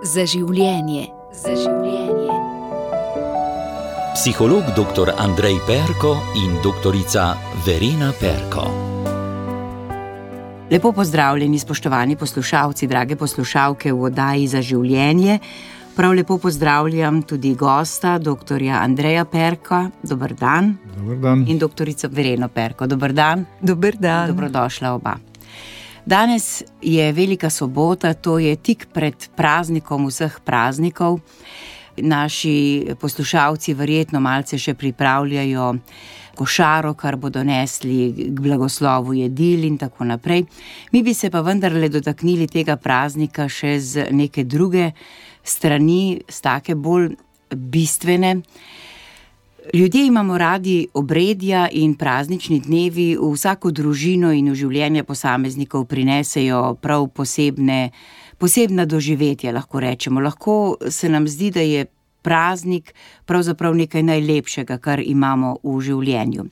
Za življenje. Za življenje. Psiholog dr. Andrej Perko in doktorica Verena Perko. Lepo pozdravljeni, spoštovani poslušalci, drage poslušalke v oddaji Za življenje. Prav lepo pozdravljam tudi gosta, doktorja Andreja Perka. Dober dan. Dober dan. In doktorico Vereno Perko. Dober dan. Dober dan. Dobrodošla oba. Danes je velika sobota, to je tik pred praznikom vseh praznikov. Naši poslušalci verjetno malce še pripravljajo košaro, kar bodo nesli k blagoslovu jedil in tako naprej. Mi bi se pa vendarle dotaknili tega praznika še z neke druge strani, z take bolj bistvene. Ljudje imamo radi obredja in praznični dnevi v vsako družino in v življenje posameznikov prinesejo prav posebna doživetja, lahko rečemo. Lahko se nam zdi, da je praznik pravzaprav nekaj najlepšega, kar imamo v življenju.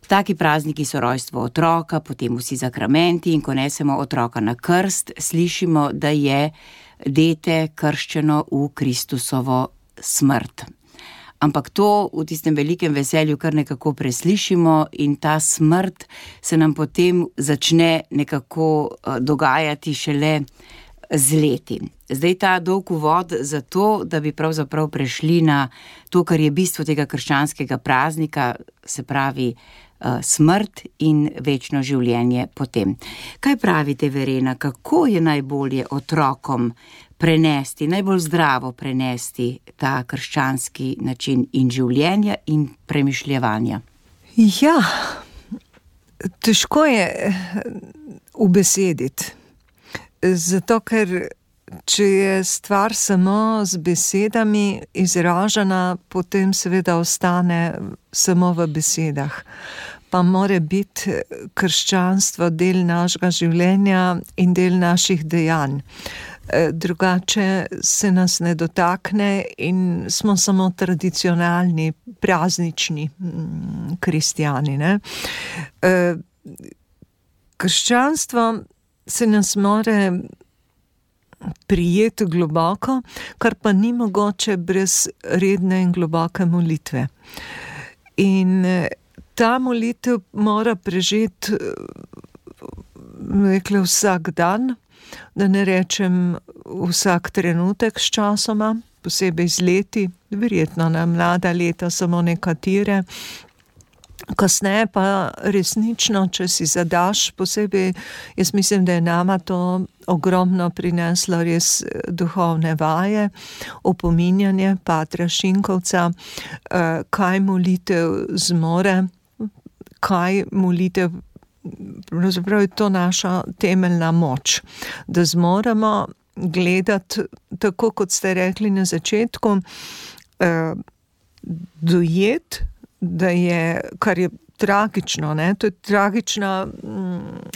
Taki prazniki so rojstvo otroka, potem vsi sakramenti in ko nesemo otroka na krst, slišimo, da je dete krščeno v Kristusovo smrt. Ampak to v tistem velikem veselju kar nekako preslišimo in ta smrt se nam potem začne nekako dogajati šele z leti. Zdaj ta dolg uvod za to, da bi pravzaprav prešli na to, kar je bistvo tega krščanskega praznika, se pravi smrt in večno življenje potem. Kaj pravite, Verena, kako je najbolje otrokom prenesti, najbolj zdravo prenesti ta krščanski način in življenja in premišljevanja? Ja, težko je ubesediti. Zato, ker če je stvar samo z besedami izražena, potem seveda ostane samo v besedah. Pa mora biti krščanstvo del našega življenja in del naših dejanj. Drugače se nas ne dotakne in smo samo tradicionalni, praznični kristjani, ne? Krščanstvo se nas more prijeti globoko, kar pa ni mogoče brez redne in globoke molitve. In ta molitev mora prežeti vsak dan, da ne rečem vsak trenutek s časoma, posebej z leti, verjetno na mlada leta samo nekatere. Kasneje pa resnično, če si zadaš, posebej, jaz mislim, da je nama to ogromno prineslo res duhovne vaje, opominjanje patra Šinkovca, kaj molitev zmore, kaj molitev, pravzaprav je to naša temeljna moč, da zmoremo gledati, tako kot ste rekli na začetku, dojeti, da je, kar je tragično, ne? To je tragična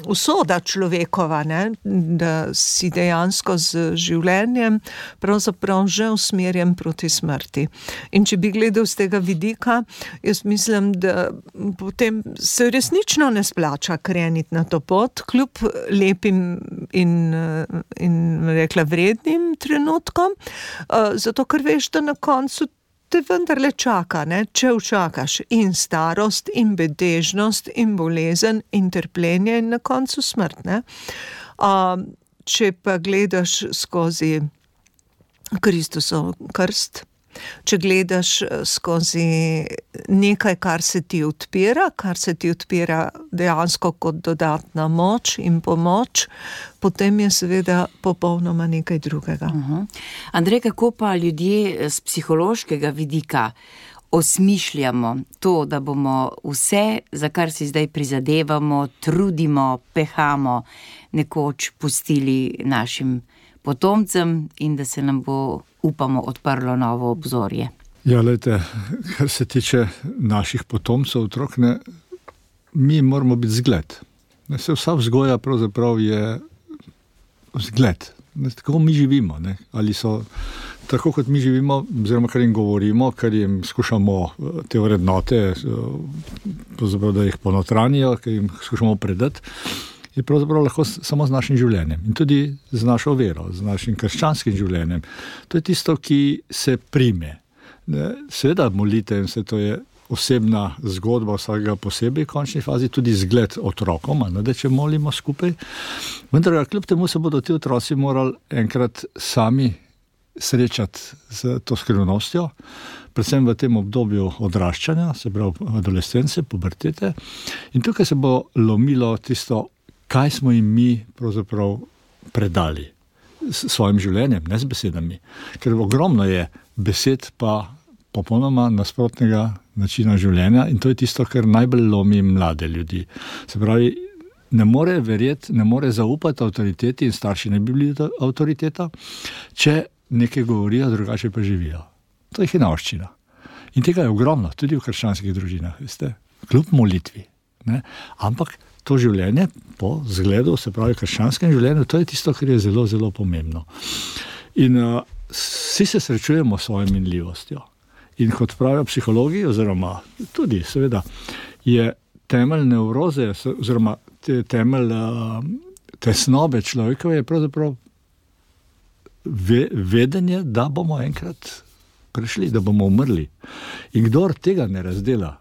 usoda človekova, ne? Da si dejansko z življenjem pravzaprav že usmerjen proti smrti. In če bi gledal z tega vidika, jaz mislim, da potem se resnično ne splača kreniti na to pot, kljub lepim in rekla vrednim trenutkom, zato ker veš, da na koncu te vendarle čaka, ne? Če učakaš in starost, in bedežnost, in bolezen, in trpljenje in na koncu smrt, ne? Če pa gledaš skozi Kristusov krst, če gledaš skozi nekaj, kar se ti odpira dejansko kot dodatna moč in pomoč, potem je seveda popolnoma nekaj drugega. Andrej, kako pa ljudje z psihološkega vidika osmišljamo to, da bomo vse, za kar si zdaj prizadevamo, trudimo, pehamo, nekoč pustili našim potomcem in da se nam bo, upamo, odprlo novo obzorje? Ja, glejte, kar se tiče naših potomcev, otrok, ne, mi moramo biti zgled. Vsa vzgoja pravzaprav je zgled. Tako mi živimo, ne? Ali so tako, kot mi živimo, oziroma kar jim govorimo, kar jim skušamo te vrednote, pravzaprav, da jih ponotranijo, kar jim skušamo predati, je pravzaprav lahko samo z našim življenjem in tudi z našo vero, z našim krščanskim življenjem. To je tisto, ki se prime. Seveda molitev, vse to je osebna zgodba vsakega posebej, v končni fazi tudi zgled otrokom, da če molimo skupaj. Vendar kljub temu se bodo ti otroci morali enkrat sami srečati z to skrivnostjo, predvsem v tem obdobju odraščanja, se pravi adolescence, pubertete. In tukaj se bo lomilo tisto, kaj smo jim mi pravzaprav predali s svojim življenjem, ne z besedami. Ker ogromno je besed pa popolnoma nasprotnega načina življenja in to je tisto, kar najbolj lomi mlade ljudi. Se pravi, ne more verjeti, ne more zaupati avtoriteti in starši ne bi bili avtoriteta, če nekaj govorijo, drugače pa živijo. To je hinavščina. In tega je ogromno, tudi v krščanskih družinah, veste, kljub molitvi. Ne? Ampak to življenje po zgledu, se pravi krščanskem življenju, to je tisto, kar je zelo, zelo pomembno. In vsi se srečujemo s svojo minljivostjo. In kot pravijo psihologi, oziroma tudi seveda, je temelj nevroze, oziroma temelj tesnobe človekove je pravzaprav vedenje, da bomo enkrat prišli, da bomo umrli. In kdor tega ne razdela,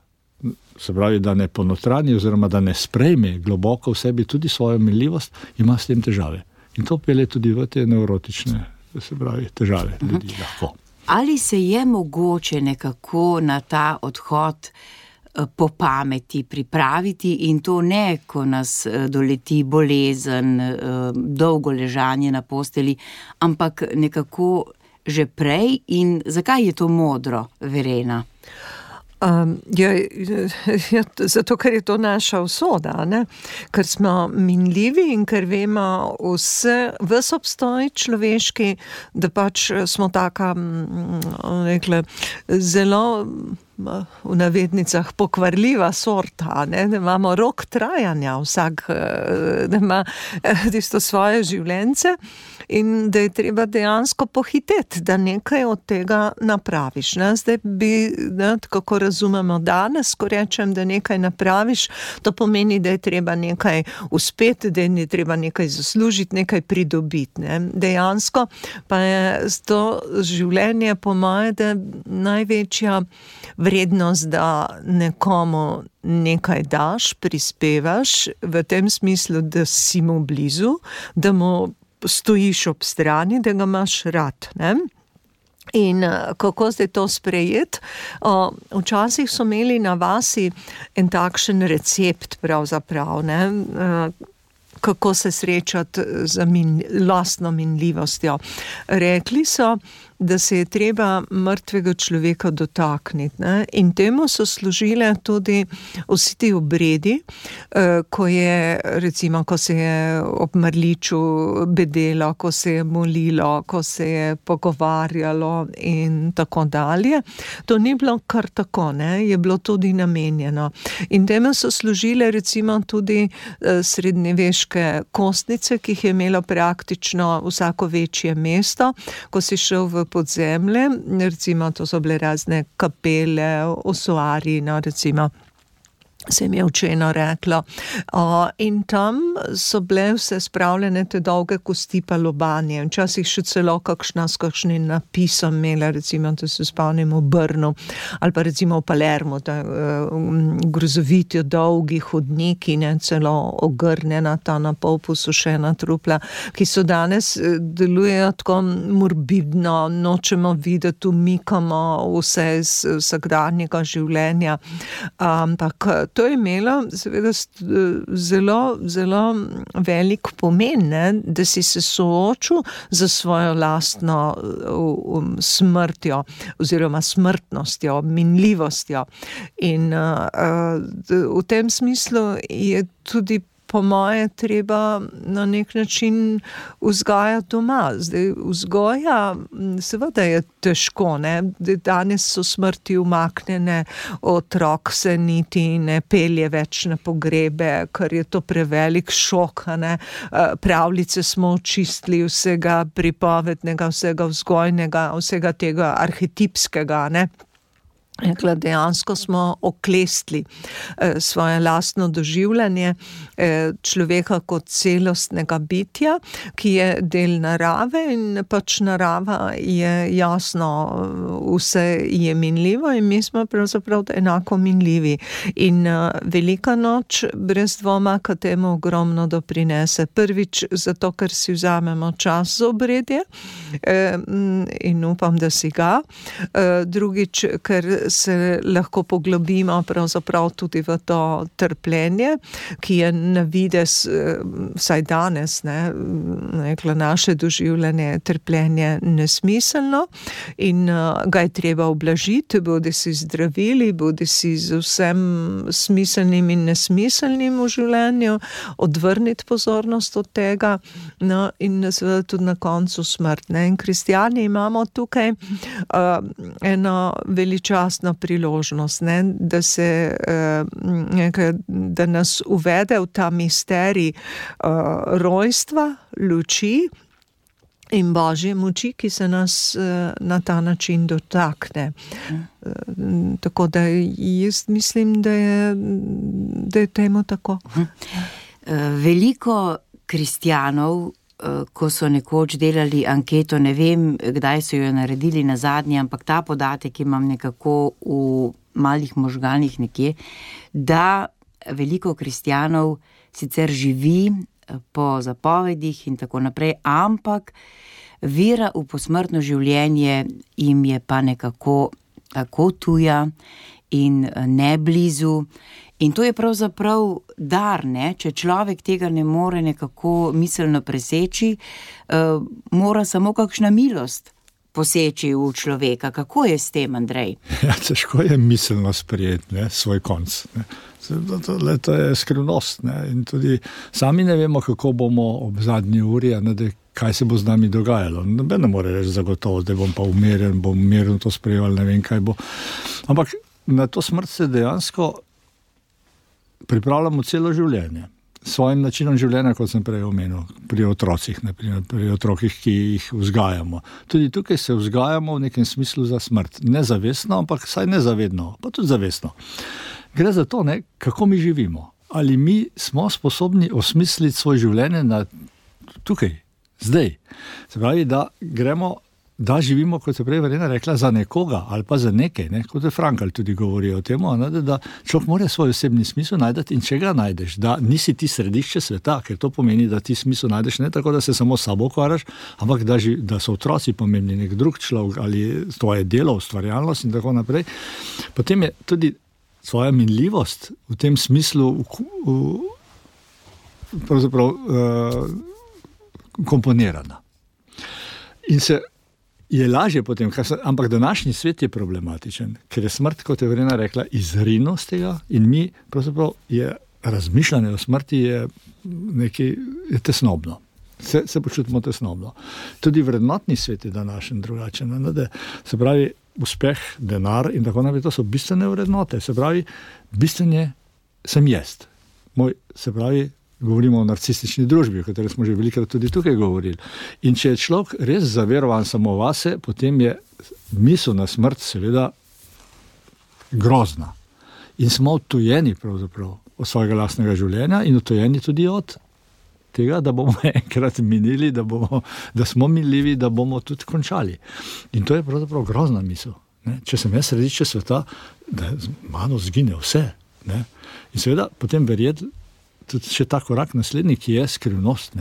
se pravi, da ne ponotrani oziroma da ne sprejme globoko v sebi tudi svojo minljivost, ima s tem težave. In to pelje tudi v te nevrotične, se pravi, težave ljudi lahko. Ali se je mogoče nekako na ta odhod po pameti pripraviti in to ne, ko nas doleti bolezen, dolgo ležanje na posteli, ampak nekako že prej in zakaj je to modro, Verena? Zato, ker je to naša usoda, ne? Ker smo minljivi in ker vemo ves obstoj človeški, da pač smo taka, rekla, zelo v navednicah pokvarljiva sorta, ne? Da imamo rok trajanja vsak, da ima tisto svoje življenje in da je treba dejansko pohiteti, da nekaj od tega napraviš. Ne? Zdaj bi, kako razumemo danes, ko rečem, da nekaj napraviš, to pomeni, da je treba nekaj uspeti, da je treba nekaj zaslužiti, nekaj pridobiti. Ne? Dejansko pa je to življenje po moje, da največja vrednost, da nekomu nekaj daš, prispevaš, v tem smislu, da si mu blizu, da mu stojiš ob strani, da ga imaš rad, ne? In kako zdaj to sprejeti? Včasih so imeli na vasi en takšen recept pravzaprav, ne? Kako se srečati z lastno minljivostjo. Rekli so, da se je treba mrtvega človeka dotakniti, ne? In temu so služile tudi vsi ti obredi, ko je, recimo, ko se je ob mrliču bedelo, ko se je molilo, ko se je pogovarjalo in tako dalje. To ni bilo kar tako, ne? Je bilo tudi namenjeno. In temu so služile recimo tudi srednjeveške kostnice, ki jih je imelo praktično vsako večje mesto, ko si šel v podzemlje, recimo to so bile razne kapele, osuari, recimo se mi je učeno reklo. In tam so bile vse spravljene te dolge kosti pa lobanje. Včasih še celo s kakšnim napisom imela, recimo, da se spomnim v Brnu, ali pa recimo v Palermo, grozoviti dolgi hodniki, ne, celo ogrnjena ta na pol posušena trupla, ki so danes delujejo tako morbidno, nočemo videti, umikamo vse iz vsakdanjega življenja. Ampak to je imelo seveda zelo, zelo velik pomen, ne, da si se soočil za svojo lastno smrtjo oziroma smrtnostjo, minljivostjo. In v tem smislu je tudi po moje treba na nek način vzgajati doma. Zdaj, vzgoja seveda je težko, ne? Danes so smrti umaknjene, otrok se niti ne pelje več na pogrebe, ker je to prevelik šok, ne? Pravljice smo očistili vsega pripovednega, vsega vzgojnega, vsega tega arhetipskega, ne? Rekla, dejansko smo oklestili svoje lastno doživljanje človeka kot celostnega bitja, ki je del narave in pač narava je jasno, vse je minljivo in mi smo pravzaprav enako minljivi. In velika noč brez dvoma k temu ogromno doprinese. Prvič zato, ker si vzamemo čas za obredje in upam, da si ga. Drugič, ker se lahko poglobimo pravzaprav tudi v to trpljenje, ki je na vides, vsaj danes, rekla, naše doživljanje trpljenje nesmiselno in ga je treba ublažiti, bodi si zdravili, bodi si z vsem smiselnim in nesmiselnim v življenju, odvrniti pozornost od tega, in seveda tudi na koncu smrt. In kristjani imamo tukaj eno veličastno priložnost, da se da nas uvede v ta misterij rojstva, luči in Božje moči, ki se nas na ta način dotakne. Tako da jaz mislim, da je temu tako. Veliko kristjanov, ko so nekoč delali anketo, ne vem, kdaj so jo naredili nazadnje, ampak ta podatek imam nekako v malih možganih nekje, da veliko kristjanov sicer živi po zapovedih in tako naprej, ampak vera v posmrtno življenje jim je pa nekako tako tuja in ne blizu. In to je pravzaprav dar, če človek tega ne more nekako miselno preseči, mora samo kakšna milost poseči v človeka. Kako je s tem, Andrej? Ja, težko je miselno sprejeti svoj konc. To je skrivnost. In tudi sami ne vemo, kako bomo ob zadnji uri, kaj se bo z nami dogajalo. Noben ne more reči zagotovo, da bom pa umirjen to sprejel, ne vem, kaj bo. Ampak na to smrt se dejansko pripravljamo celo življenje. Svojim načinom življenja, kot sem prej omenil, pri otrocih, naprimer, pri otrokih, ki jih vzgajamo. Tudi tukaj se vzgajamo v nekem smislu za smrt. Nezavestno, ampak saj nezavedno, pa tudi zavestno. Gre za to, kako mi živimo. Ali mi smo sposobni osmisliti svoje življenje tukaj, zdaj. Se pravi, da živimo, kot je prej Verena rekla, za nekoga ali pa za nekaj, kot je Frankl tudi govori o tem, da človek mora svoj osebni smisel najdeti in če ga najdeš, da nisi ti središče sveta, ker to pomeni, da ti smisel najdeš ne tako, da se samo sabo ukvarjaš, ampak da so otroci pomembni, nek drug človek ali tvoje delo, ustvarjalnost in tako naprej. Potem je tudi svoja minljivost v tem smislu pravzaprav komponirana. In se je lažje potem, ampak današnji svet je problematičen, ker je smrt, kot je Verena rekla, izrinil z tega in mi, pravzaprav, razmišljanje o smrti je tesnobno. Se počutimo tesnobno. Tudi vrednotni svet je današnji drugačen. Se pravi, uspeh, denar in tako naprej, to so bistvene vrednote. Se pravi, bistvene sem jaz. Se pravi, govorimo o narcistični družbi, o kateri smo že velikrat tudi tukaj govorili. In če je človek res zaverovan samo vase, potem je misel na smrt seveda grozna. In smo odtujeni pravzaprav od svojega lastnega življenja in odtujeni tudi od tega, da bomo enkrat minili, da smo minljivi, da bomo tudi končali. In to je pravzaprav grozna misel. Če sem jaz središče sveta, da mano zgine vse. In seveda potem verjeti, tudi še ta korak naslednji, ki je skrivnost,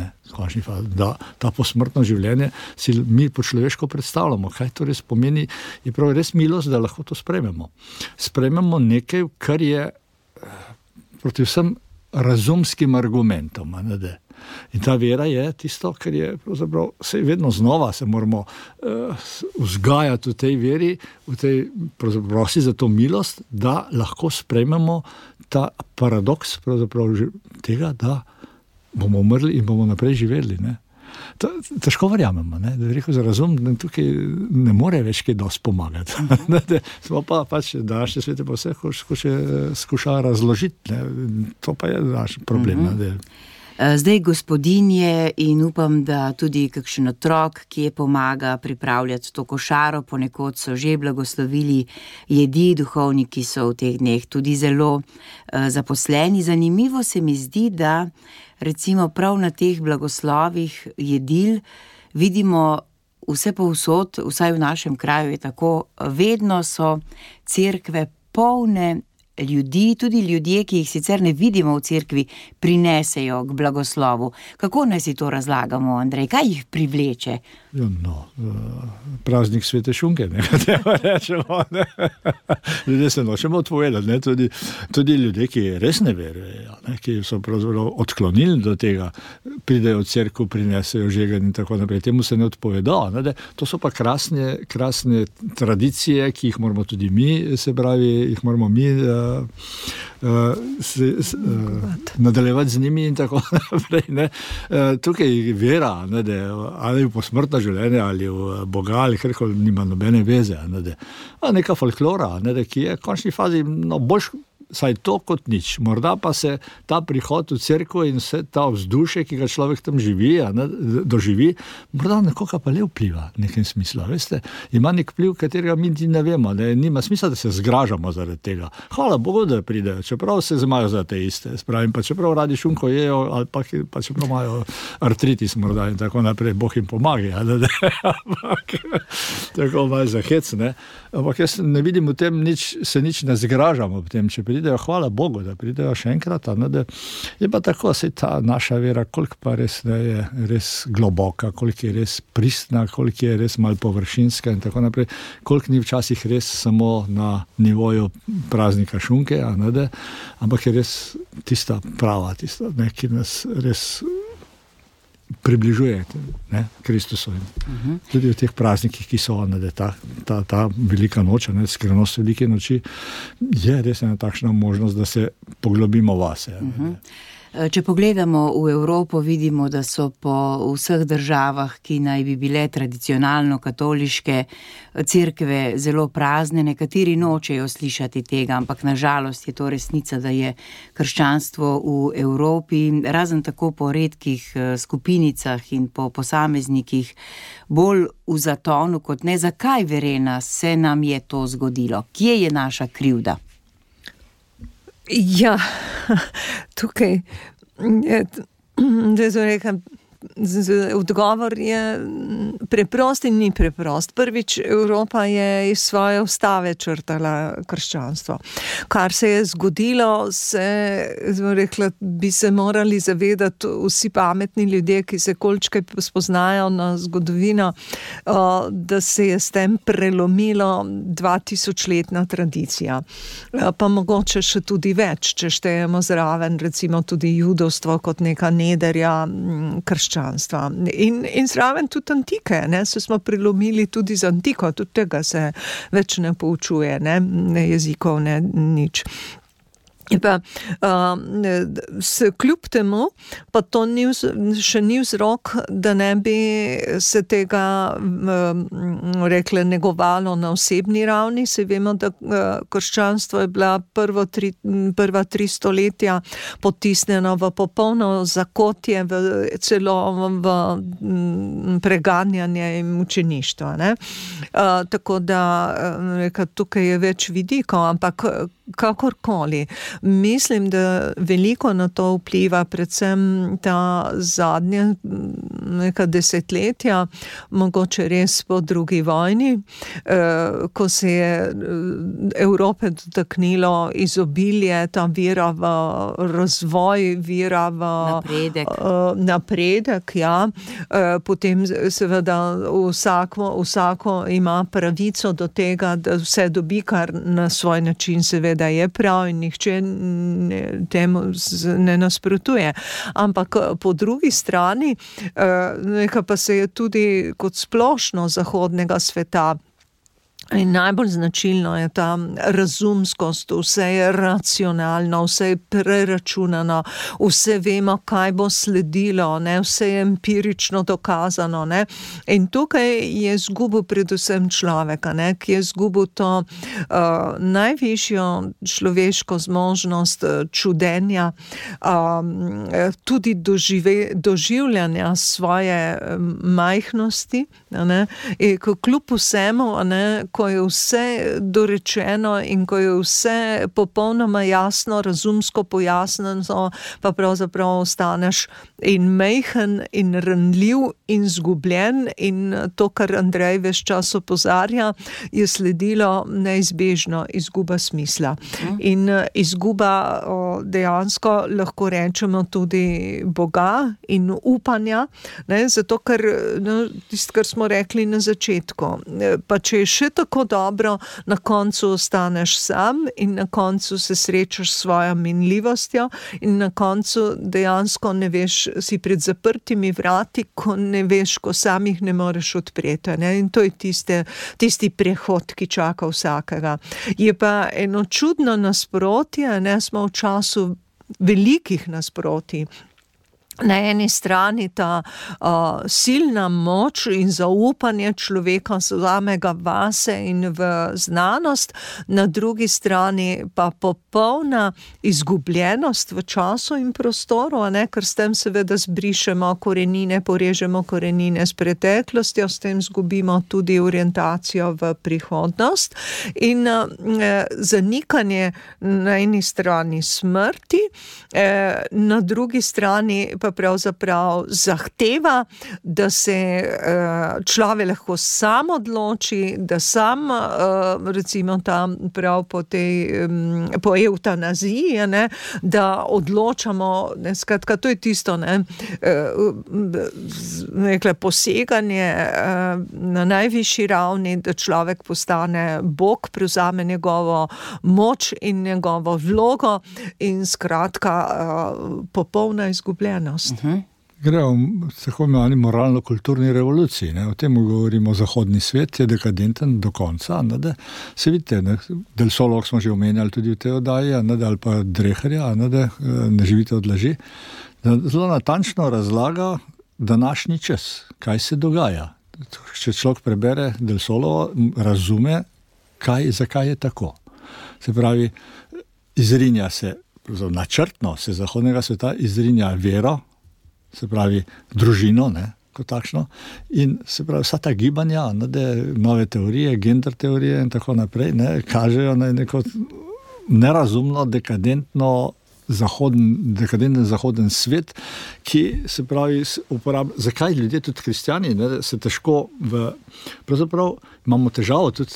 da ta posmrtno življenje si mi po človeško predstavljamo. Kaj to res pomeni, je prav res milost, da lahko to sprejmemo. Sprejmemo nekaj, kar je proti vsem razumskim argumentom. In ta vera je tisto, kar je pravzaprav vedno znova se moramo vzgajati v tej veri, prosi za to milost, da lahko sprejmemo ta paradoks pravzaprav tega, da bomo umrli in bomo naprej živeli. Težko verjamemo, da je rekel za razum, da tukaj ne more več kaj dosti pomagati. Smo pa pač današnje svete pa vse skuša razložiti. To pa je naš problem. Zdaj gospodinje in upam, da tudi kakšen otrok, ki je pomaga pripravljati to košaro, ponekod so že blagoslovili jedi, duhovniki so v teh dneh tudi zelo zaposleni. Zanimivo se mi zdi, da recimo prav na teh blagoslovih jedil vidimo vse povsod, vsaj v našem kraju je tako, vedno so cerkve polne ljudi, tudi ljudje, ki jih sicer ne vidimo v cerkvi, prinesejo k blagoslovu. Kako naj si to razlagamo, Andrej? Kaj jih privleče? Praznik svete šunke, treba rečemo. Ljudje se nočemo odpovedati, tudi ljudje, ki res ne verujejo, ki so pravzaprav odklonili do tega, pridejo v cerkev, prinesejo žegen in tako naprej. Temu se ne odpovedo. To so pa krasne tradicije, ki jih moramo tudi mi, se pravi, jih moramo mi nadaljevati z njimi in tako naprej. Tukaj vera, ali v posmrtno življenje, ali v Boga, ali karkoli, nima nobene veze. Neka folklora, ki je v končni fazi boljš, saj to kot nič. Morda pa se ta prihod v cerkev in vse ta vzdušje, ki ga človek tam doživi, morda nekoga pa le vpliva v nekem smislu. Veste, ima nek vpliv, katerega mi ne vemo. Nima smisla, da se zgražamo zaradi tega. Hvala Bogu, da pridejo, čeprav se imajo za te iste. Spravim, pa čeprav radi šunko jejo, ali pa čeprav imajo artritis morda in tako naprej, Bog jim pomaga. Tako malo za hec, ne. Ampak jaz ne vidim v tem se nič ne zgražamo v tem, če pridejo, hvala Bogu, da pridejo še enkrat, da je pa tako, se ta naša vera, koliko pa res je res globoka, koliko je res pristna, koliko je res malo površinska in tako naprej, koliko ni včasih res samo na nivoju praznika šunke, ampak je res tista prava, tista, ki nas res približuje Kristusu. Tudi v teh praznikih, ki so ta velika noč, skrivnost velike noči, je res ena takšna možnost, da se poglobimo vase. Če pogledamo v Evropo, vidimo, da so po vseh državah, ki naj bi bile tradicionalno katoliške, cerkve zelo prazne, nekateri nočejo slišati tega, ampak na žalost je to resnica, da je krščanstvo v Evropi, razen tako po redkih skupinicah in po posameznikih, bolj v zatonu kot ne. Zakaj, Verena, se nam je to zgodilo? Kje je naša krivda? Ja, tukaj, da so rekam, odgovor je preprost in ni preprost. Prvič, Evropa je iz svoje ustave črtala krščanstvo. Kar se je zgodilo, bi se morali zavedati vsi pametni ljudje, ki se količkaj spoznajo na zgodovino, da se je s tem prelomilo 2000-letna tradicija. Pa mogoče še tudi več, če štejemo zraven recimo tudi judovstvo kot neka nederja krščanstva. In zraven tudi antike, se smo prelomili tudi z antiko, tudi tega se več ne poučuje, ne jezikov, ne nič. Pa, kljub temu, pa to še ni vzrok, da ne bi se tega rekle negovalo na osebni ravni. Se vemo, da krščanstvo je bila prva 3 stoletja potisnjeno v popolno zakotje, celo v preganjanje in mučeništvo. Tako da tukaj je več vidikov, ampak kakorkoli. Mislim, da veliko na to vpliva predvsem ta zadnja neka desetletja, mogoče res po drugi vojni, ko se je Evrope dotaknilo izobilje, ta vera v razvoj, vera v napredek, ja. Potem seveda vsako ima pravico do tega, da vse dobi, kar na svoj način seveda je prav in nihče temu ne nasprotuje. Ampak po drugi strani pa se je tudi kot splošno zahodnega sveta In najbolj značilno je ta razumskost, vse je racionalno, vse je preračunano, vse vemo, kaj bo sledilo, ne? Vse je empirično dokazano. Ne? In tukaj je izgubil predvsem človeka, ne? Ki je izgubil to najvišjo človeško zmožnost čudenja, tudi doživljanja svoje majhnosti, ne? In kljub vsemu, ne? Ko je vse dorečeno in ko je vse popolnoma jasno, razumsko pojasnjeno, pa pravzaprav ostaneš in majhen in ranljiv in zgubljen, in to, kar Andrej ves čas opozarja, je sledilo neizbežno izguba smisla. In izguba dejansko lahko rečemo tudi Boga in upanja, ne, zato ker tisto, kar smo rekli na začetku, pa če je še tako dobro, na koncu ostaneš sam in na koncu se srečaš s svojo minljivostjo in na koncu dejansko ne veš, si pred zaprtimi vrati, ko ne veš, ko sam jih ne moreš odpreti. Ne? In to je tisti prehod, ki čaka vsakega. Je pa eno čudno nasprotje, ne, smo v času velikih nasprotij. Na eni strani ta silna moč in zaupanje človeka samega vase in v znanost, na drugi strani pa popolna izgubljenost v času in prostoru, ne? Ker s tem seveda zbrišemo korenine, porežemo korenine s preteklostjo, s tem zgubimo tudi orientacijo v prihodnost in zanikanje na eni strani smrti, na drugi strani pa pravzaprav zahteva, da se človek lahko sam odloči, da sam, recimo tam prav po eutanaziji, ne, da odločamo, ne, skratka, to je tisto, ne, nekle poseganje na najvišji ravni, da človek postane Bog, prevzame njegovo moč in njegovo vlogo in skratka popolna izgubljenost. Gre o tako imenovani moralno-kulturni revoluciji. Ne? O tem govorimo, zahodni svet je dekadenten do konca. Ne? Da se vidite, ne? Del Solo smo že omenjali tudi v tej oddaji, ali pa Dreherja, ne živite od laži, da zelo natančno razlaga današnji čas, kaj se dogaja. Če človek prebere Del Solo, razume, zakaj je tako. Se pravi, izrinja se, načrtno se zahodnega sveta izrinja vero, se pravi družino, ne, kot takšno, in se pravi vsa ta gibanja, nove teorije, gender teorije in tako naprej, ne, kažejo na neko nerazumno, dekadenten zahoden svet, ki se pravi uporablja. Zakaj ljudje, tudi kristjani, ne, se težko pravzaprav imamo težavo tudi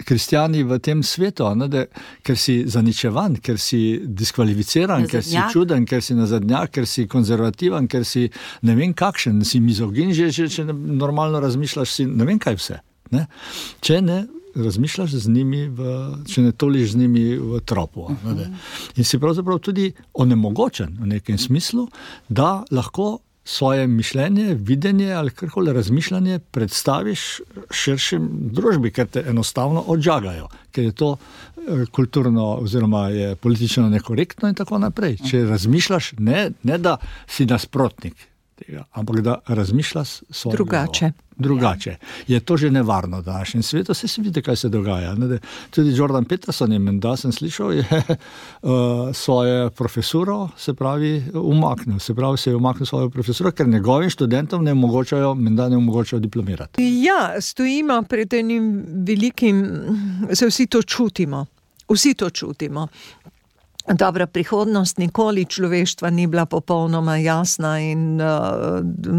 kristjani v tem svetu, ker si zaničevan, ker si diskvalificiran, ker si čuden, ker si nazadnjak, ker si konzervativen, ker si ne vem kakšen, si mizogin, že če normalno razmišljaš, si ne vem kaj vse. Ne? Če ne razmišljaš z njimi, če ne toliš z njimi v tropu. In si pravzaprav tudi onemogočen v nekem smislu, da lahko svoje mišljenje, videnje ali karkoli razmišljanje predstaviš širšim družbi, ker te enostavno odžagajo, ker je to kulturno oziroma je politično nekorektno in tako naprej. Če razmišljaš, ne da si nasprotnik tega, ampak da razmišljaš drugače. Je to že nevarno v današnjem svetu, se vidi, kaj se dogaja. Tudi Jordan Peterson je, menda sem slišal, je svojo profesuro, se pravi, umaknil. Se pravi, se je umaknil svojo profesuro, ker njegovim študentom ne omogočajo diplomirati. Ja, stojimo pred enim velikim, se vsi to čutimo. Dobra, prihodnost nikoli človeštva ni bila popolnoma jasna in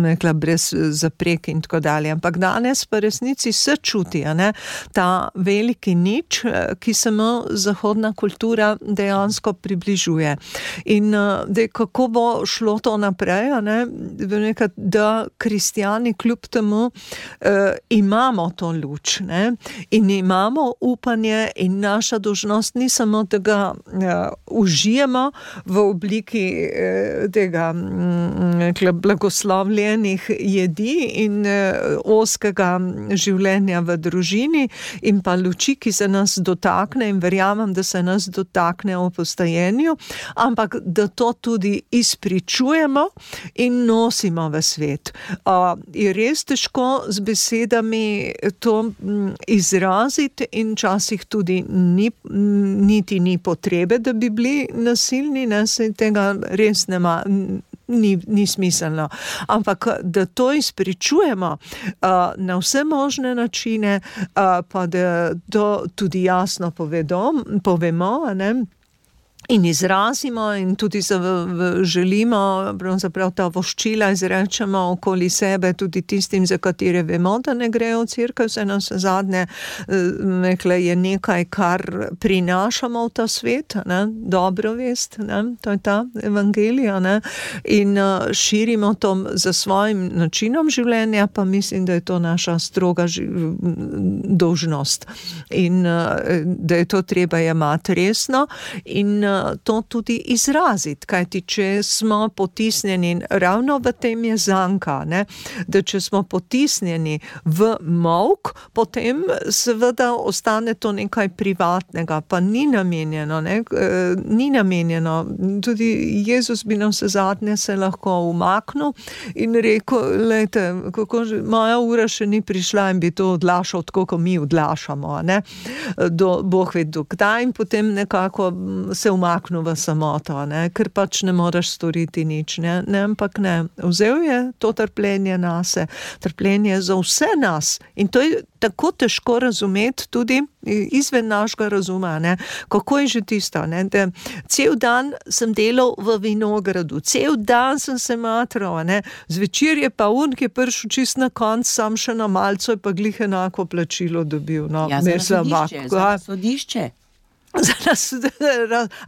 nekla brez zaprek in tako dalje. Ampak danes pa resnici se čuti, ne? Ta veliki nič, ki se mu zahodna kultura dejansko približuje. In kako bo šlo to naprej, ne? Da kristjani kljub temu imamo to luč, ne? In imamo upanje in naša dolžnost ni samo, da ga užijemo v obliki tega blagoslovljenih jedi in ozkega življenja v družini in pa luči, ki se nas dotakne in verjamem, da se nas dotakne v postajenju, ampak da to tudi izpričujemo in nosimo v svet. Je res težko z besedami to izraziti in časih tudi niti ni potrebe, da bi bili nasilni, ne, se tega res nema, ni smiselno. Ampak da to izpričujemo na vse možne načine, pa da to tudi jasno povemo, ne, in izrazimo in tudi želimo, pravzaprav ta voščila izrečemo okoli sebe tudi tistim, za katere vemo, da ne grejo v cerkev, se nas zadnje je nekaj, kar prinašamo v ta svet, ne, dobro vest, ne, to je ta evangelija, ne, in širimo to za svojim načinom življenja, pa mislim, da je to naša stroga dolžnost in da je to treba jemati resno in to tudi izraziti, kajti če smo potisnjeni, ravno v tem je zanka, ne, da če smo potisnjeni v molk, potem seveda ostane to nekaj privatnega, pa ni namenjeno, ne, ni namenjeno. Tudi Jezus bi nam zadnje se lahko umaknil in rekel, lejte, moja ura še ni prišla in bi to odlašal, tako kot mi odlašamo, ne, Bog ve dokdaj in potem nekako se umaknil v samoto, ne, ker pač ne moreš storiti nič, ne, ampak ne. Vzel je to trpljenje nase, trpljenje za vse nas in to je tako težko razumeti tudi izven našega razuma, ne. Kako je že tisto, ne, da cel dan sem delal v vinogradu, cel dan sem se matral, ne, zvečer je pa ki je prišel čist na konc, sam še na malco je pa glih enako plačilo dobil. No, ja, za sodišče.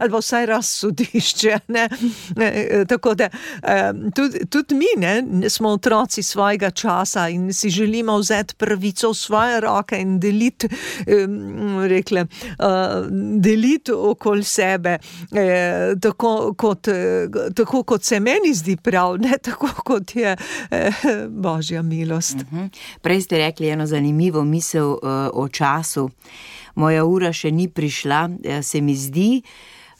Ali pa vsaj razsodišče, ne. Tako da tudi mi, ne, smo otroci svojega časa in si želimo vzeti pravico v svoje roke in deliti deliti okoli sebe tako kot se meni zdi prav, ne tako kot je Božja milost. Prej ste rekli eno zanimivo misel o času. Moja ura še ni prišla, se mi zdi,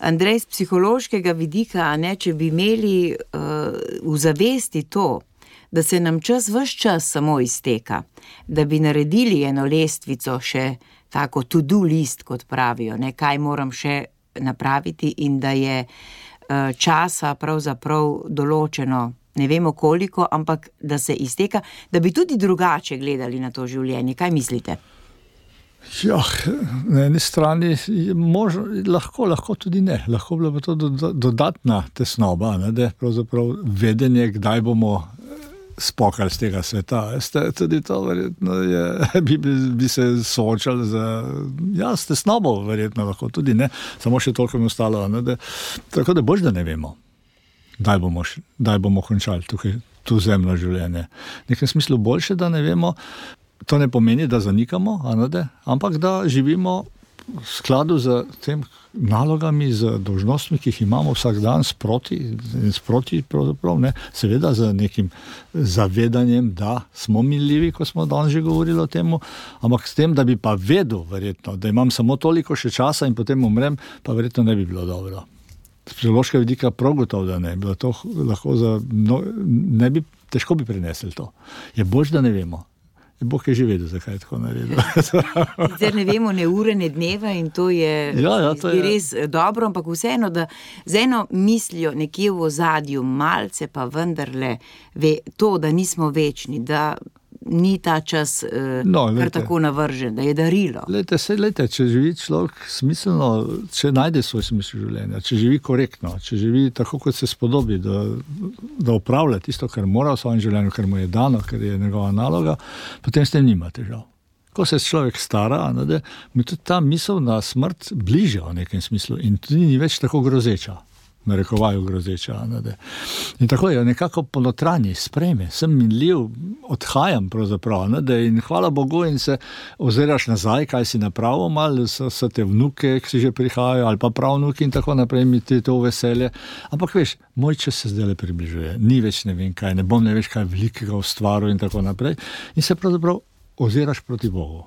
Andrej, z psihološkega vidika, ne, če bi imeli v zavesti to, da se nam ves čas samo izteka, da bi naredili eno lestvico še tako to-do list, kot pravijo, ne, kaj moram še napraviti in da je časa pravzaprav določeno, ne vemo koliko, ampak da se izteka, da bi tudi drugače gledali na to življenje. Kaj mislite? Ja, na eni strani lahko tudi ne. Lahko bila pa to dodatna tesnoba, ne, da je pravzaprav vedenje, kdaj bomo spokali z tega sveta. Tudi to verjetno bi se soočali s tesnobo, verjetno lahko tudi ne. Samo še toliko mi ostalo, ne, tako da bož, da ne vemo, kdaj bomo končali tukaj to zemljo življenje. V nekem smislu boljše, da ne vemo. To ne pomeni, da zanikamo, ampak da živimo v skladu z tem nalogami, z dolžnostmi, ki jih imamo vsak dan sproti pravzaprav, ne, seveda z nekim zavedanjem, da smo minljivi, ko smo danes že govorili o tem, ampak s tem, da bi pa vedel verjetno, da imam samo toliko še časa in potem umrem, pa verjetno ne bi bilo dobro. Z psihološkega vidika prav gotovo, da ne. Bilo to lahko težko bi prenesli to. Je bož, da ne vemo. Bog je že vedel, zakaj je tako naredil. Zdaj ne vemo ne ure, ne dneva in to je, to je res dobro, ampak vseeno, da z eno mislijo nekje v ozadju malce pa vendarle ve to, da nismo večni, da ni ta čas kar tako navržen, da je darilo. Lejte, če živi človek smiselno, če najde svoj smisel življenja, če živi korektno, če živi tako, kot se spodobi, da opravlja tisto, kar mora v svojem življenju, kar mu je dano, ker je njegova naloga, potem s tem nima težav. Ko se človek stara, mi tudi ta misel na smrt bližja v nekem smislu in tudi ni več tako grozeča. narekovaju grozeča. In tako je nekako ponotranji, sprejme, sem minljiv, odhajam pravzaprav, in hvala Bogu in se oziraš nazaj, kaj si napravil, malo so te vnuke, ki si že prihajajo, ali pa pravnuki in tako naprej, mi ti to veselje. Ampak veš, moj čas se zdaj približuje, ni več ne vem kaj, ne bom ne veš kaj velikega ustvaril in tako naprej. In se pravzaprav oziraš proti Bogu.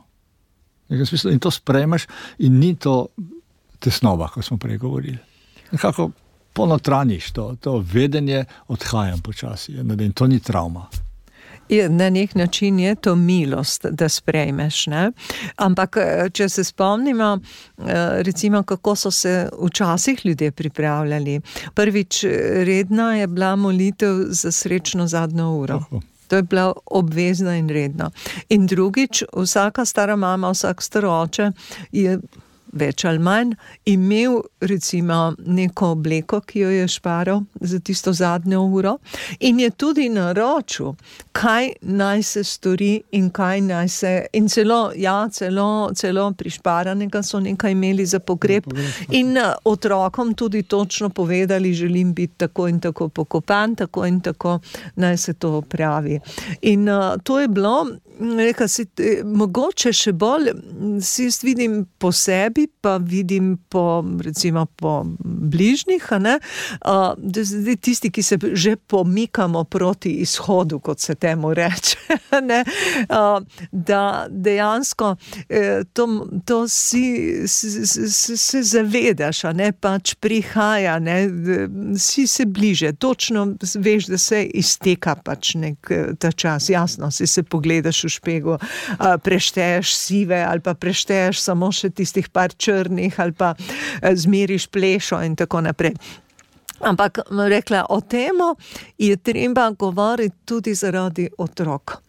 In to sprejmeš in ni to tesnova, ko smo prej govorili. Nekako ponotraniš to vedenje, odhajam počasi, in to ni travma. Na nek način je to milost, da sprejmeš, ne? Ampak, če se spomnimo, recimo, kako so se včasih ljudje pripravljali. Prvič, redna je bila molitev za srečno zadnjo uro. To je bila obvezna in redna. In drugič, vsaka stara mama, vsak staroče je več ali manj imel recimo neko obleko, ki jo je šparal za tisto zadnjo uro in je tudi naročil, kaj naj se stori in kaj naj se, in celo prišparanega so nekaj imeli za pogreb in otrokom tudi točno povedali, želim biti tako in tako pokopan, tako in tako naj se to opravi. In to je bilo, mogoče še bolj, si jaz vidim po sebi, pa vidim recimo po bližnjih, da tisti, ki se že pomikamo proti izhodu, kot se temu reče, da dejansko to se zavedaš, pač prihaja, si se bliže, točno veš, da se izteka pač ta čas, jasno, si se pogledaš v špegu, prešteješ sive ali pa prešteješ samo še tistih par črnih ali pa zmeriš plešo in tako naprej. Ampak rekla, o temu je treba govoriti tudi zaradi otrok.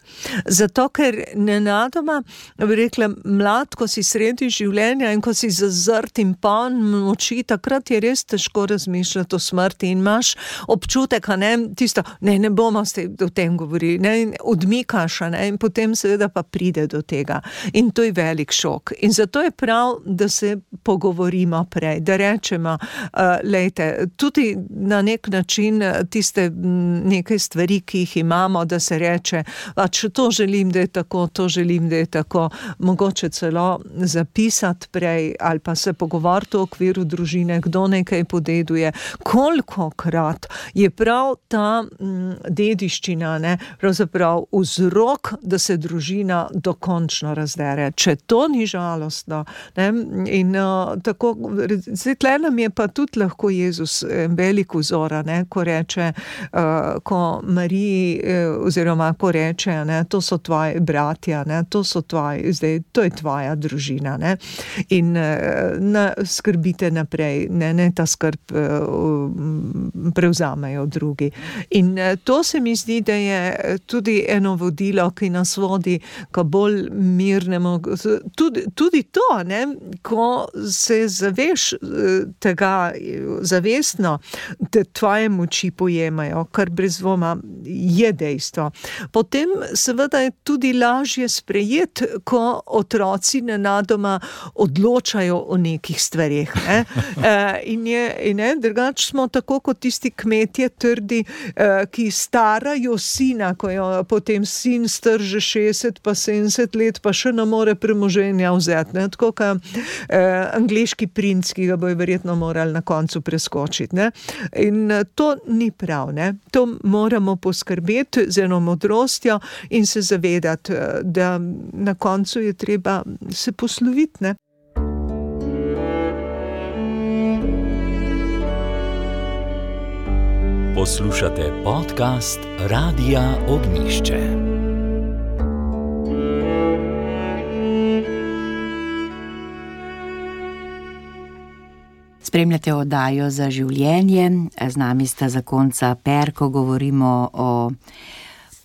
Zato, ker nenadoma, rekla, mlad, ko si sredi življenja in ko si zazrt in poln moči, takrat je res težko razmišljati o smrti in imaš občutek, tisto, ne bomo o tem govorili, odmikaš, in potem seveda pa pride do tega. In to je velik šok. In zato je prav, da se pogovorimo prej, da rečemo, lejte, tudi na nek način tiste nekaj stvari, ki jih imamo, da se reče, to želim, da je tako, to želim, da je tako, mogoče celo zapisati prej ali pa se pogovoriti v okviru družine, kdo nekaj podeduje, kolikokrat je prav ta dediščina, pravzaprav vzrok, da se družina dokončno razdere. Če to ni žalostno, in tako, tle nam je pa tudi lahko Jezus velik vzor, ko reče, ko Mariji, oziroma ko reče, to so tvoji bratja, to so tvoji, zdaj, to je tvoja družina, in skrbite naprej, ne ta skrb prevzamejo drugi. In to se mi zdi, da je tudi eno vodilo, ki nas vodi k bolj mirnemu, tudi to, ko se zaveš tega zavestno, da tvoje moči pojemajo, kar brez dvoma je dejstvo. Potem seveda je tudi lažje sprejeti, ko otroci nenadoma odločajo o nekih stvareh. In drugače smo tako kot tisti kmetje trdi, ki starajo sina, ko jo potem sin strže 60 pa 70 let, pa še ne more premoženja vzeti. Tako kot angleški princ, ki ga bojo verjetno morali na koncu preskočiti. In to ni prav. To moramo poskrbeti z eno modrostjo in se zavedati, da na koncu je treba se posloviti. Poslušate podcast Radia Ognjišče. Spremljate oddajo Za življenje. Z nami sta zakonca Perko, govorimo o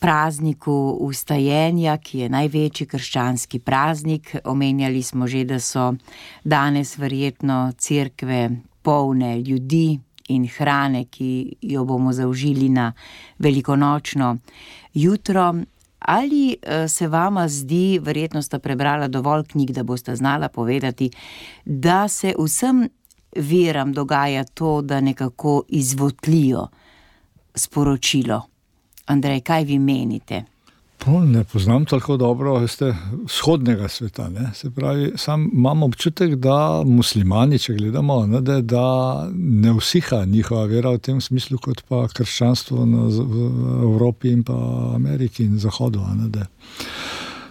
prazniku vstajenja, ki je največji krščanski praznik. Omenjali smo že, da so danes verjetno cerkve polne ljudi in hrane, ki jo bomo zaužili na velikonočno jutro. Ali se vama zdi, verjetno sta prebrala dovolj knjig, da boste znala povedati, da se vsem veram dogaja to, da nekako izvotlijo sporočilo? Andrej, kaj vi menite? Ne poznam tako dobro, vzhodnega sveta. Ne? Se pravi, sam imam občutek, da muslimani, če gledamo, ne, da ne usiha njihova vera v tem smislu, kot pa krščanstvo v Evropi in pa Ameriki in Zahodu. Ne, da.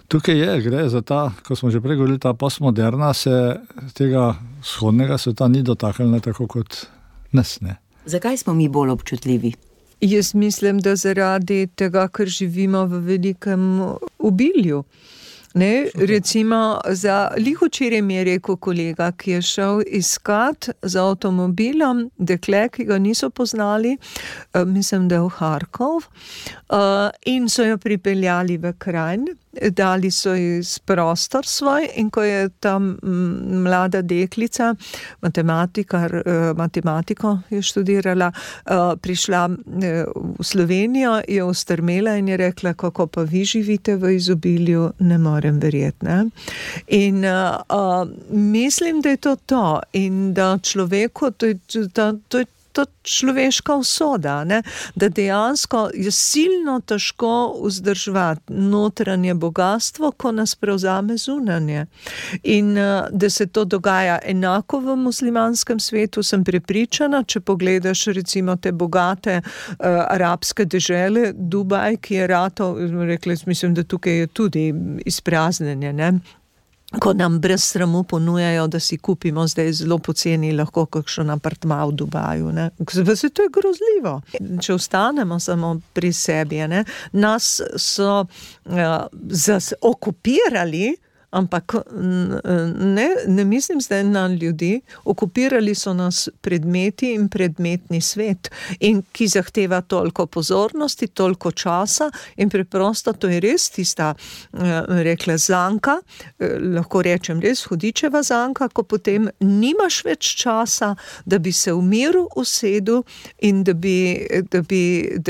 Tukaj gre za ta, ko smo že prej govorili, ta postmoderna se tega vzhodnega sveta ni dotaknila tako kot nas. Ne? Zakaj smo mi bolj občutljivi? Jaz mislim, da zaradi tega, ker živimo v velikem obilju. Ne, recimo, včeraj mi je rekel kolega, ki je šel iskat z avtomobilom dekle, ki ga niso poznali, mislim, da je v Harkov, in so jo pripeljali v Kranj, dali so ji prostor svoj, in ko je tam mlada deklica, matematiko je študirala, prišla v Slovenijo, je ustrmela in je rekla, kako pa vi živite v izobilju, ne morem verjeti. Ne? In mislim, da je to in da človeku, to je to človeška usoda, ne? Da dejansko je silno težko vzdrževati notranje bogatstvo, ko nas prevzame zunanje. In da se to dogaja enako v muslimanskem svetu, sem prepričana, če pogledaš recimo te bogate arabske dežele, Dubaj, ki je ratal, mislim, da tukaj je tudi izpraznjenje, ne? Ko nam brez sramu ponujajo, da si kupimo zdaj zelo poceni lahko kakšen apartma v Dubaju. Ne? To je grozljivo. Če ostanemo samo pri sebi, ne? Nas so okupirali, ampak ne mislim zdaj na ljudi, okupirali so nas predmeti in predmetni svet, in ki zahteva toliko pozornosti, toliko časa in preprosto to je res tista, rekla zanka, lahko rečem res hudičeva zanka, ko potem nimaš več časa, da bi se v miru usedel in da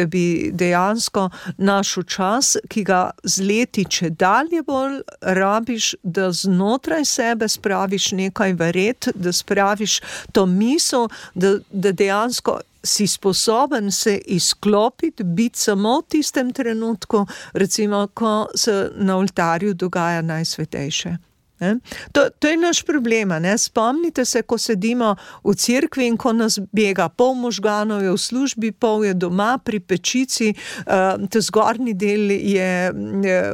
bi dejansko našel čas, ki ga z leti čedalje bolj rabiš, da znotraj sebe spraviš nekaj v red, da spraviš to misel, da dejansko si sposoben se izklopiti, biti samo v tistem trenutku, recimo, ko se na oltarju dogaja najsvetejše. To je naš problem, ne? Spomnite se, ko sedimo v cerkvi in ko nas bega pol možganov je v službi, pol je doma pri pečici, ta zgornji del je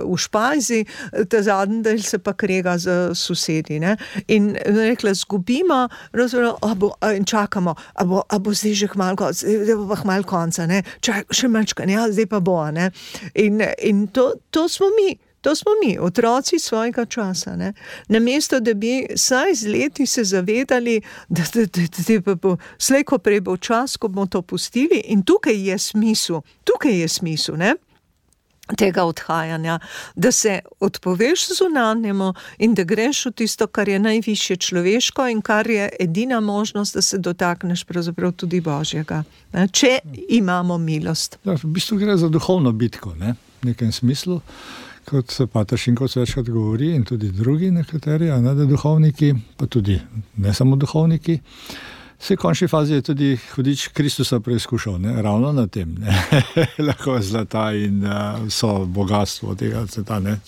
v špajzi, ta zadnji del se pa krega z sosedi. Ne? In rekla, zgubimo in čakamo, a bo zdaj že hmal konca, ne? Še manjčka, ja, zdaj pa bo. Ne? In to smo mi. To smo mi, otroci svojega časa. Ne? Namesto, da bi saj z leti se zavedali, da bo slej, ko prej bo čas, ko bomo to pustili, in tukaj je smisel, ne? Tega odhajanja, da se odpoveš zunanjemu in da greš v tisto, kar je najvišje človeško in kar je edina možnost, da se dotakneš pravzaprav tudi Božjega, ne? Če imamo milost. Ja, v bistvu gre za duhovno bitko, ne? V nekem smislu. Kot se pater Šinkovec večkrat govori in tudi drugi nekateri, da duhovniki, pa tudi ne samo duhovniki, v končni fazi je tudi hudič Kristusa preizkušal, ne? Ravno na tem, ne? Lahko zlata in vso bogatstvo tega sveta, ne?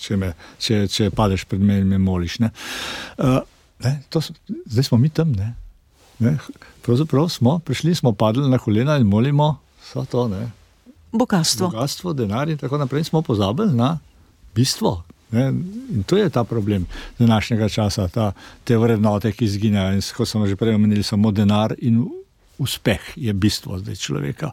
Če padeš pred meni in me moliš. Ne? Zdaj smo mi tam, ne? Pravzaprav smo padli na kolena in molimo vso to, ne? Bogatstvo, denar in tako naprej, smo pozabili na bistvo. Ne? In to je ta problem današnjega časa, te vrednote, ki izginjajo. In kot smo že prej omenili, samo denar in uspeh je bistvo zdaj človeka.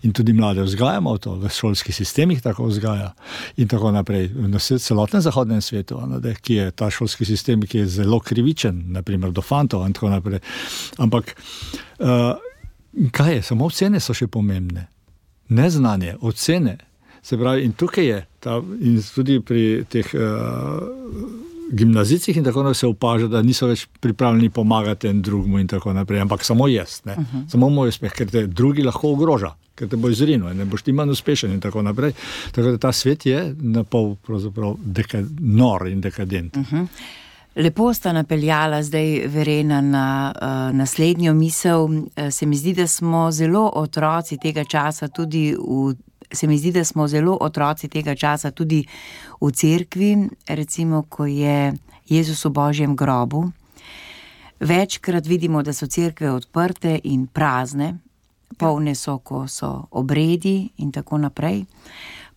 In tudi mlade vzgajamo to, v šolskih sistemih tako vzgaja in tako naprej. Na celotnem zahodnem svetu, ki je ta šolski sistem, ki je zelo krivičen, naprimer do fantov in tako naprej. Ampak kaj je? Samo ocene so še pomembne. Neznanje, ocene. Se pravi, in tukaj je, in tudi pri teh gimnazijcih in tako naprej se opaža, da niso več pripravljeni pomagati en drugmu in tako naprej, ampak samo jaz, ne? Samo moj uspeh, ker te drugi lahko ogroža, ker te bo izrinil, ne boš ti manj uspešen in tako naprej. Tako da ta svet je napol pravzaprav nor in dekadent. Lepo sta napeljala zdaj Verena na naslednjo misel. Se mi zdi, da smo zelo otroci tega časa tudi v cerkvi, recimo, ko je Jezus v Božjem grobu. Večkrat vidimo, da so cerkve odprte in prazne, polne so, ko so obredi in tako naprej.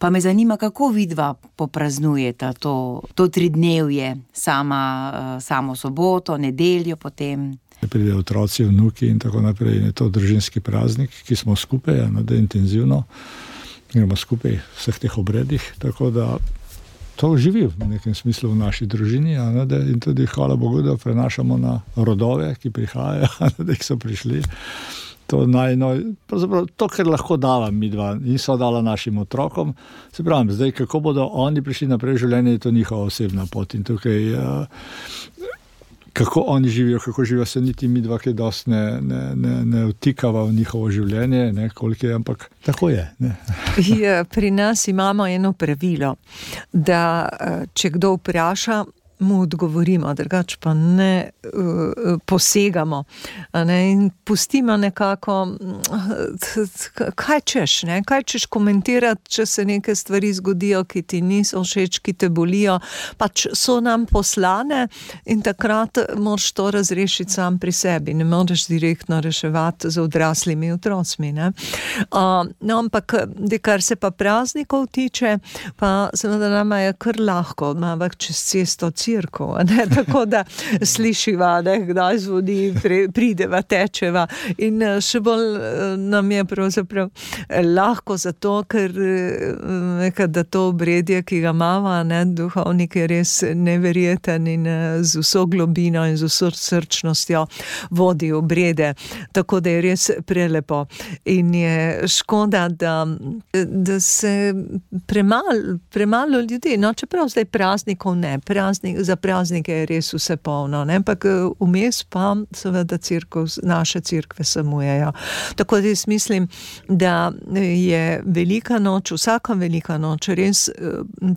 Pa me zanima, kako vidva popraznujeta to tridnevje, samo soboto, nedeljo potem. Pridejo otroci, vnuki in tako naprej. In je to družinski praznik, ki smo skupaj, da intenzivno gremo skupaj v vseh teh obredih, tako da to živi v nekem smislu v naši družini, in tudi hvala Bogu, da prenašamo na rodove, ki prihajajo, da jih so prišli. To, kar lahko dava mi dva in so dala našim otrokom, se pravim, zdaj, kako bodo oni prišli naprej v življenje, je to njihova osebna pot in tukaj, kako oni živijo, se niti mi dva kaj dosti ne vtikava v njihovo življenje, koliko je, ampak tako je. Pri nas imamo eno pravilo, da če kdo vpraša, mu odgovorimo, drugače pa ne posegamo, in pustimo nekako, kaj češ komentirati, če se neke stvari zgodijo, ki ti niso všeč, ki te bolijo, pač so nam poslane in takrat moraš to razrešiti sam pri sebi, ne moraš direktno reševati z odraslimi otrocmi, ampak, kar se pa praznikov tiče, pa seveda nama je kar lahko, imamo čez cesto cirkev, tako da slišiva, kdaj zvoni, prideva, tečeva in še bolj nam je pravzaprav lahko zato, ker da to obredje, ki ga imava, duhovnik je res neverjeten in z vso globino in z vso srčnostjo vodi obrede, tako da je res prelepo in je škoda, da se premalo ljudi, čeprav zdaj praznikov ne, za praznike je res vse polno, ampak vmes pa seveda naše cerkve samujejo. Tako da jaz mislim, da je velika noč, vsaka velika noč res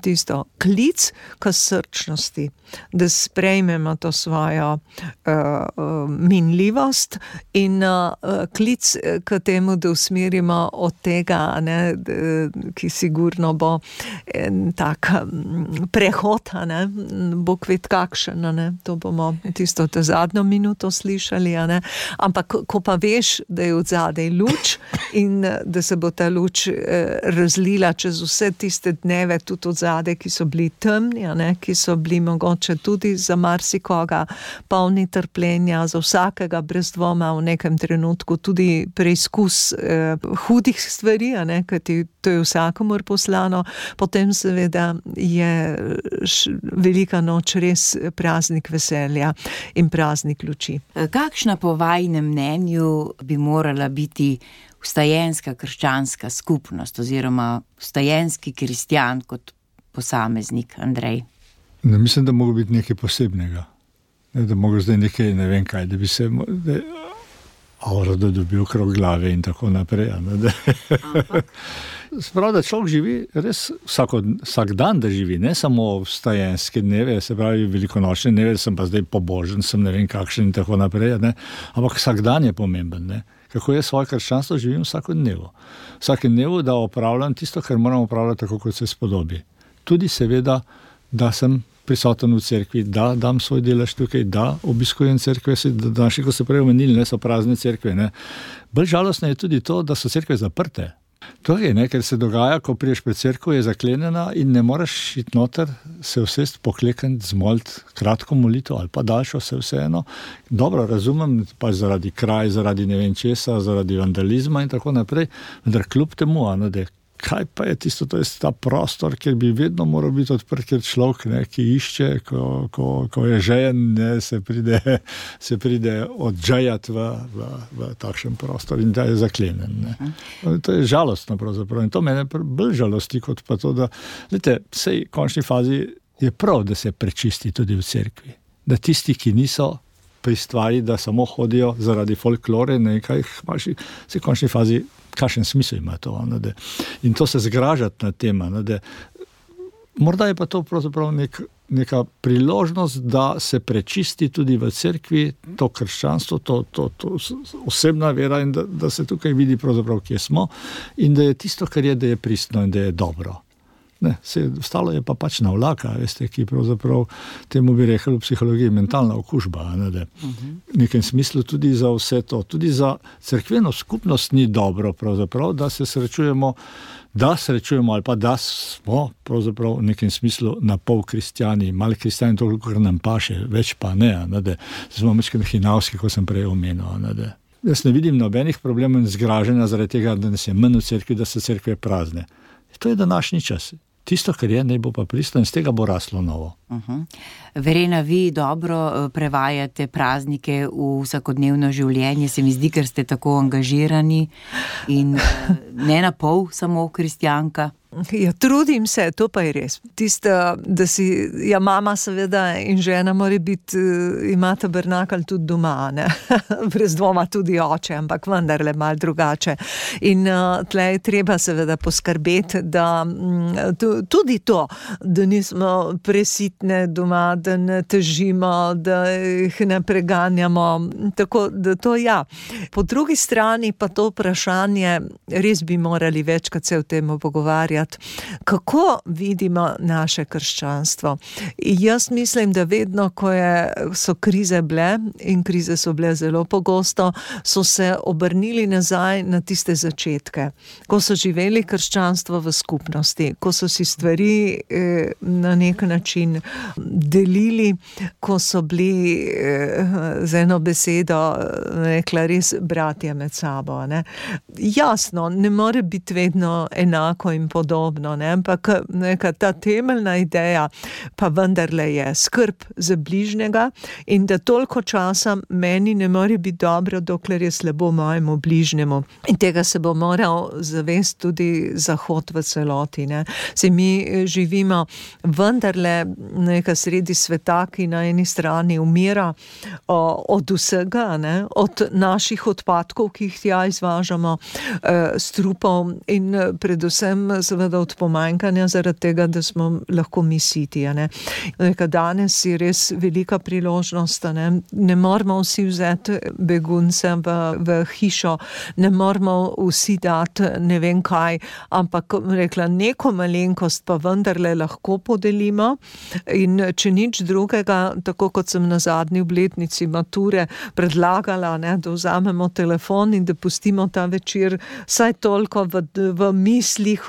tisto klic k srčnosti, da sprejmemo to svojo minljivost in klic k temu, da usmerimo od tega, ki sigurno bo en tak prehod, Bog ve kakšen, to bomo tisto zadnjo minuto slišali, ampak ko pa veš, da je odzadej luč in da se bo ta luč razlila čez vse tiste dneve, tudi odzadej, ki so bili temni, ki so bili mogoče tudi za marsikoga polni trpljenja, za vsakega brez dvoma v nekem trenutku tudi preizkus hudih stvari, kajti to je vsakomur poslano, potem seveda je velika noč res praznik veselja in praznik luči. Kakšna po vajinem mnenju bi morala biti vstajenska krščanska skupnost oziroma vstajenski kristjan kot posameznik, Andrej? Mislim, da mogo biti nekaj posebnega. Da mogo zdaj nekaj, ne vem kaj, da bi se aura dobil okrog glave in tako naprej. Sprav, da človek živi res vsak dan, da živi, ne samo vstajenske dneve, se pravi velikonočne dneve, sem pa zdaj pobožen, sem ne vem kakšen in tako naprej, ampak vsak dan je pomemben, Kako jaz svoje krščanstvo živim vsakodnevno. Vsakodnevno, da opravljam tisto, kar moram opravljati tako, kot se spodobi. Tudi seveda, da sem prisoten v cerkvi, da dam svoj delež tukaj, da obiskujem cerkve, da naši, ko se prej omenili, so prazne cerkve. Bolj žalostno je tudi to, da so cerkve zaprte. To je, ker se dogaja, ko priješ pred cerkev, je zaklenjena in ne moreš iti noter, se vsest, poklekniti, zmoliti kratko molitev ali pa daljšo, vseeno. Dobro, razumem, pa zaradi kraj, zaradi ne vem česa, zaradi vandalizma in tako naprej, vendar kljub temu, kaj pa je tisto, to je ta prostor, kjer bi vedno moral biti odprt, kjer človek, ki išče, ko je žejen, se pride odžejati v takšen prostor in da je zaklenjen. To je žalostno pravzaprav in to mene bolj žalosti kot pa to, da sej v končni fazi je prav, da se prečisti tudi v cerkvi. Da tisti, ki niso pri stvari, da samo hodijo zaradi folklore, nekaj imaš, se v končni fazi kakšen smisel ima to, in to se zgražati na tem, Morda je pa to pravzaprav neka priložnost, da se prečisti tudi v cerkvi to krščanstvo, to osebna vera in da se tukaj vidi pravzaprav, kje smo in da je tisto, kar je, da je pristno in da je dobro. Ne, ostalo je pa pač navlaka, veste, ki pravzaprav temu bi rekli v psihologiji mentalna okužba, ne, v nekem smislu tudi za vse to. Tudi za cerkveno skupnost ni dobro pravzaprav, da se srečujemo ali pa da smo pravzaprav v nekem smislu na pol kristjani, malo kristjani toliko, kar nam paše, več pa ne, da smo mečkaj hinavski, kot sem prej omenil. Jaz ne vidim nobenih problemov in zgražanja zaradi tega, da nas je manj v cerkvi, da so cerkve prazne. To je današnji čas. Tisto, kar je, ne bo pa pristno in z tega bo raslo novo. Verena, vi dobro prevajate praznike v vsakodnevno življenje, se mi zdi, ker ste tako angažirani in ne na pol samo kristjanka. Ja, trudim se, to pa je res. Tisto, da si, mama seveda in žena mora biti, ima tabernakelj tudi doma, ne? Brez dvoma tudi oče, ampak vendarle malo drugače. In tle je treba seveda poskrbeti, da tudi to, da nismo presitne doma, da ne težimo, da jih ne preganjamo, tako da to ja. Po drugi strani pa to vprašanje, res bi morali večkrat se o tem pogovarjati, kako vidimo naše krščanstvo. Jaz mislim, da vedno, ko so krize bile, in krize so bile zelo pogosto, so se obrnili nazaj na tiste začetke, ko so živeli krščanstvo v skupnosti, ko so si stvari na nek način delili, ko so bili z eno besedo rekla res bratje med sabo. Ne? Jasno, ne more biti vedno enako in podobno, ne? Ampak neka ta temeljna ideja pa vendarle je skrb za bližnjega in da toliko časa meni ne more biti dobro, dokler je slabo mojemu bližnjemu. In tega se bo moral zavesti tudi Zahod v celoti. Ne? Se mi živimo vendarle neka sredi sveta, ki na eni strani umira od vsega, ne? Od naših odpadkov, ki jih tja izvažamo, strupov in predvsem seveda od pomanjkanja zaradi tega, da smo lahko mi siti. Danes je res velika priložnost. Ne moramo vsi vzeti begunce v hišo, ne moramo vsi dati ne vem kaj, ampak rekla, neko malenkost pa vendarle lahko podelimo in če nič drugega, tako kot sem na zadnji obletnici mature predlagala, ne, da vzamemo telefon in da pustimo ta večer vsaj toliko v mislih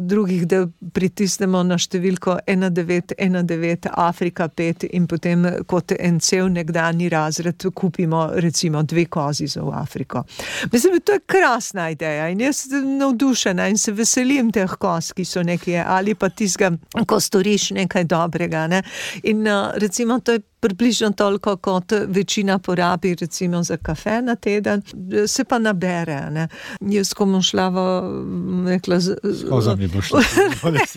drugih, da pritisnemo na številko 1919 Afrika 5 in potem kot en cel nekdanji razred kupimo recimo 2 kozi za v Afriko. Mislim, to je krasna ideja in jaz sem navdušena in se veselim teh koz, ki so nekje, ali pa tistega, ko storiš nekaj dobrega. Ne? In recimo to je približno toliko, kot večina porabi recimo za kafe na teden, se pa nabere. Ne? Jaz, ko bom šla kozami bo šla.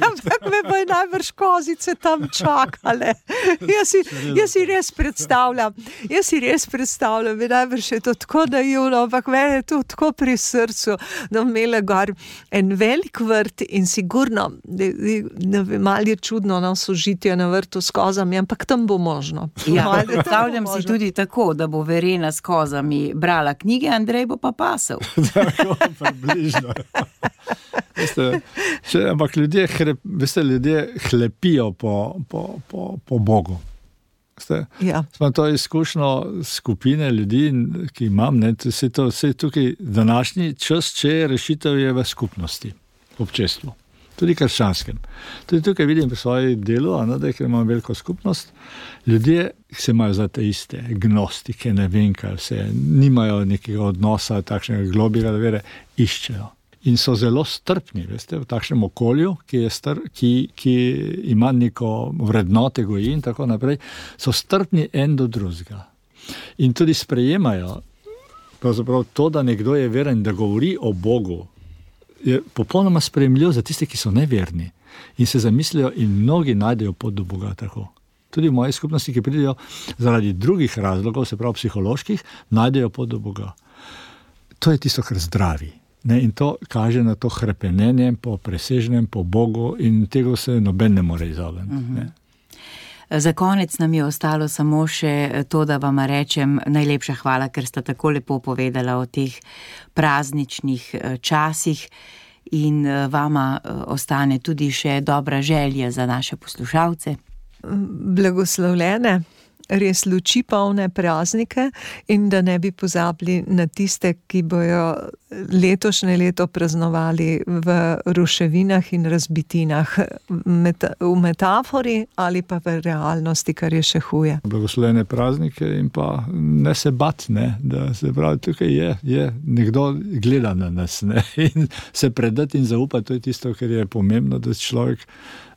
Ampak me bo najbrž kozice tam čakale. Jaz si res predstavljam, bi najbrž je to tako naivno, ampak meni je to tako pri srcu, da imela gor en velik vrt in sigurno, malo je čudno na sožitje na vrtu s kozami, ampak tam bo možno. Ja, predstavljam si tudi tako, da bo Verena s kozami brala knjige, Andrej bo pa pasel. Tako, približno. Ampak ljudje hlepijo po Bogu. Ja. Smo to izkušnjo skupine ljudi, ki imam, vse tukaj današnji čas, če rešitev je v skupnosti, v občestvu. Tudi krščanskem. Tudi tukaj vidim pri svoji delu, ker imam veliko skupnost, ljudje se imajo za te iste gnostike, ne vem kaj vse, nimajo nekega odnosa, takšnega globjega vere, iščejo. In so zelo strpni, veste, v takšnem okolju, ki ima neko vrednote, goji in tako naprej, so strpni en do drugega. In tudi sprejemajo pravzaprav to, da nekdo je veren, da govori o Bogu, je popolnoma sprejemljiv za tiste, ki so neverni in se zamislijo in mnogi najdejo pot do Boga tako. Tudi v moji skupnosti, ki pridejo zaradi drugih razlogov, se pravi psiholoških, najdejo pot do Boga. To je tisto, kar zdravi. Ne, in to kaže na to hrepenenje po presežnem, po Bogu, in tega se noben ne more izogniti. Za konec nam je ostalo samo še to, da vam rečem najlepša hvala, ker ste tako lepo povedala o teh prazničnih časih, in vama ostane tudi še dobra želja za naše poslušalce. Blagoslovljene, res luči polne praznike, in da ne bi pozabili na tiste, ki bojo letošnje leto praznovali v ruševinah in razbitinah, v metafori ali pa v realnosti, kar je še huje. Blagoslovljene praznike in pa ne se bat, ne, da se pravi, tukaj je nekdo gleda na nas, ne, in se predati in zaupati, to je tisto, kar je pomembno, da človek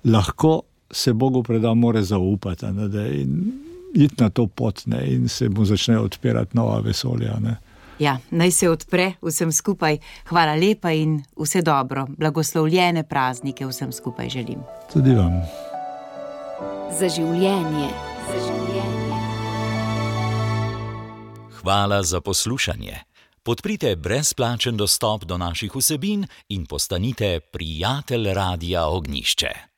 lahko se Bogu preda, more zaupati, ne, da iti na to pot, ne, in se mu začne odpirati nova vesolja. Ne. Ja, naj se odpre vsem skupaj. Hvala lepa in vse dobro. Blagoslovljene praznike vsem skupaj želim. Tudi vam. Za življenje. Za življenje. Hvala za poslušanje. Podprite brezplačen dostop do naših vsebin in postanite prijatelj Radia Ognjišče.